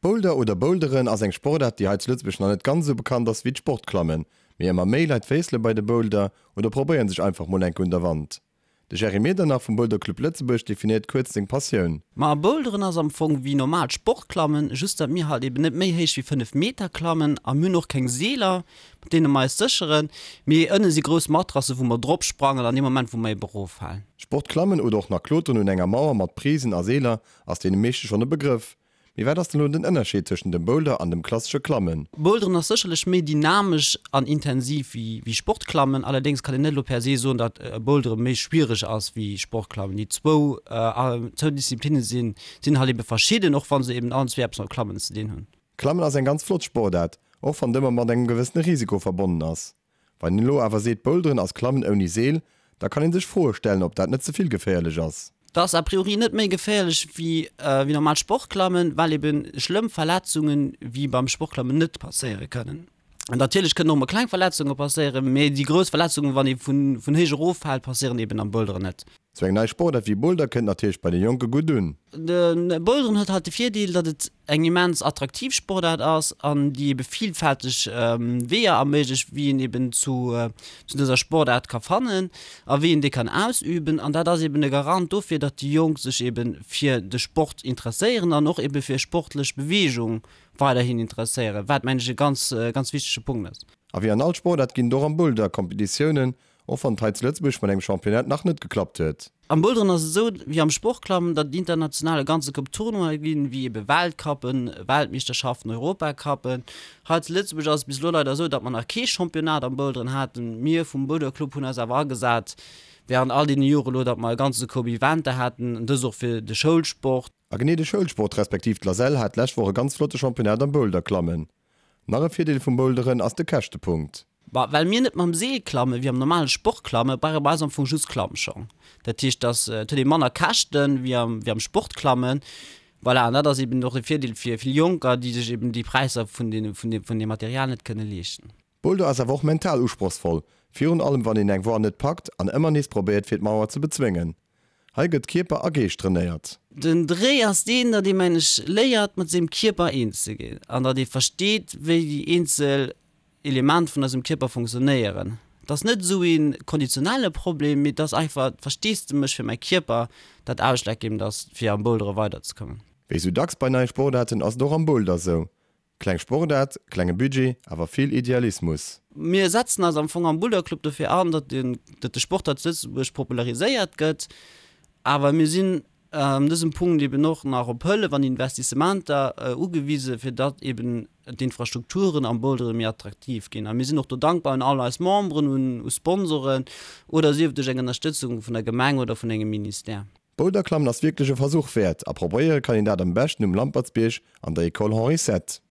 Boulder oder Boulderen ass eng Sportaart, déi hei zu Lëtzebuerg nach net ganz esou bekannt ass wéi d'Sportklammen. Mee ëmmer méi Leit féissele bei de Boulder oder probéieren sech einfach mol enke un der Wand. De Jerry Medernach vum Boulder Club Lëtzebuerg definéiert kuerz seng Passioun. Ma Boulderen ass am Fong wéi normaalt Sportklammen, just datt mir halt eben net méi héich wéi 5 Meter klammen a mir hunn och keng Seeler, mat deene mer eis sécheren, mee ënne si grouss Matrasse wou mer drop sprangen an deem Moment wou mer eben eroffalen. Sportklammen oder och nach Kloteren un enger Mauer mat Prisen a Seeler ass deene meeschte schonn e Begrëff. Mee wat ass dann elo den Ënnerscheed tëschent dem Boulder an dem klassesche Klammen? Boulderen ass sécherlech méi dynamesch an intensiv wéi Sportklammen. Allerdéngs kann een net elo per se soen, datt Bouldere méi schwiereg ass wéi Sportklammen. Déi zwou Disziplinne sinn halt ebe verschidden, och wa se eben allen zwee eppes mam Klammen ze dinn hunn. Klammen ass eng ganz flott Sportaart, och wann et ëmmer mat engem gewëssene Risiko verbonnen ass. Wann een elo awer seet Boulderen ass Klammen ouni Seel, da kann een sech Froe stellen, ob dat net ze vill geféierlech ass. Dat ass a priori net méi geféierlech wéi normaalt Sportklammen, well eben schlëmm Verletzungen wéi beim Sportklammen net passéiere kënnen. Natierlech kënnen och mol kleng Verletzunge passéieren, mee déi grouss Verletzungen, wann ee vun héich erof fält, passéieren eben am Boulderen net. Sou eng nei Sportaart wéi Boulder kënnt natierlech bei de Jonke gutt un. De Boulderen huet halt de Virdeel, datt et eng immens attraktiv Sportaart ass an déi ebe villfälteg Weeër erméiglecht, wéi een eben zu dëser Sportaart ka fannen a wéi een déi kann ausüben. An dat ass eben e Garant dofir, datt déi Jonk sech ebe fir de Sport interesséieren an och ebe fir sportlech Beweegung weiderhin interesséieren, wat mengen ech e ganz, ganz wichtege Punkt ass. A wéi an all Sportaart ginn et och am Boulder Kompetitiounen Och wann et hei zu Lëtzebuerg mat engem Championnat nach net geklappt huet. Am Boulderen ass et esou wéi am Sportklammen, datt et international e ganze Koup Tournoie ginn, wéi ebe Weltcuppen, Weltmeeschterschaften, Europacuppen. Hei zu Lëtzebuerg ass et bis elo leider esou, datt mer nach kee Championnat am Boulderen haten. Mir vum Boulderclub hunn eis awer agesat wärend all deene Jore elo, datt mer e ganze Koup Eventer haten, dëst och fir de Schoulsport. A genee de Schoulsport respektiv d'Lasel hat d'lescht Woch e ganz flotte Championnat am Boulderklammen. Nach e Virdeel vum Boulderen ass de Käschtepunkt. Bah, well mir net mam Seel klammen, wéi am normale Sport klammen, brauche mer eis am Fong just Klammschong. Dat heescht, dass, et huet ee manner Käschten, wéi am, wéi am Sport klammen. Voilà, an dat ass eben och e Virdeel fir vill Jonker, déi sech eben déi Präisser vun deene, vun deem, vun deem Material net kënne leeschten. Boulder ass awer och mental usprochsvoll, virun allem wann een eng Voie net packt an ëmmer nees probéiert fir d'Mauer ze bezwéngen. Hei gëtt Kierper a Geescht trainéiert. Den Dréi ass deen, datt ee mengen ech léiert mat sengem Kierper eens ze ginn an datt ee versteet wéi déi eenzel Element vun eisem Kierper funktionéieren. Et ass net esou ee konditionelle Problem, mee et ass einfach d'Versteesdemech fir mäi Kierper, dat ausschlaggebend ass fir am Bouldere weiderzekommen. Wéi sou dacks bei neie Sportaarten ass et och am Boulder sou, Kleng Sportaart, klenge Budget, awer vill Idealismus. Mir setzen eis am Fong am Boulderclub dofir an, datt de Sport hei zu Lëtzebuerg populariséiert gëtt. Awer mir sinn an dësem Punkt eben och nach op Hëllef an Investissementer ugewise fir datt eben d'Infrastrukturen am Bouldere méi attraktiv ginn. A mir sinn och do dankbar un all eis Memberen, un Sponsoren oder sief et duerch eng Ënnerstëtzung vun der Gemeng oder vun engem Ministère. Boulderklammen ass wierklech e Versuch wäert a probéiere kann een dat am beschten um Lampertsbierg an der Ecole Henri Sette.